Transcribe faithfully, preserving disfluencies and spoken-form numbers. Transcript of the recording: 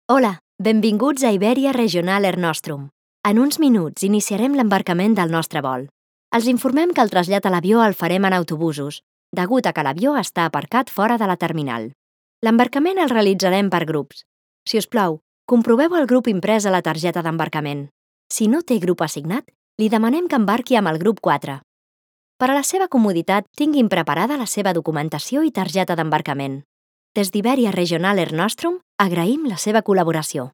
Hola, benvinguts a Iberia Regional Air Nostrum. En uns minuts iniciarem l'embarcament del nostre vol. Els informem que el trasllat a l'avió el farem en autobusos, degut a que l'avió està aparcat fora de la terminal. L'embarcament el realitzarem per grups. Si us plau, comproveu el grup imprès a la targeta d'embarcament. Si no té grup assignat, li demanem que embarqui amb el grup quatre. Per a la seva comoditat, tinguin preparada la seva documentació i targeta d'embarcament. Des d'Iberia Regional Air Nostrum, agraïm la seva col·laboració.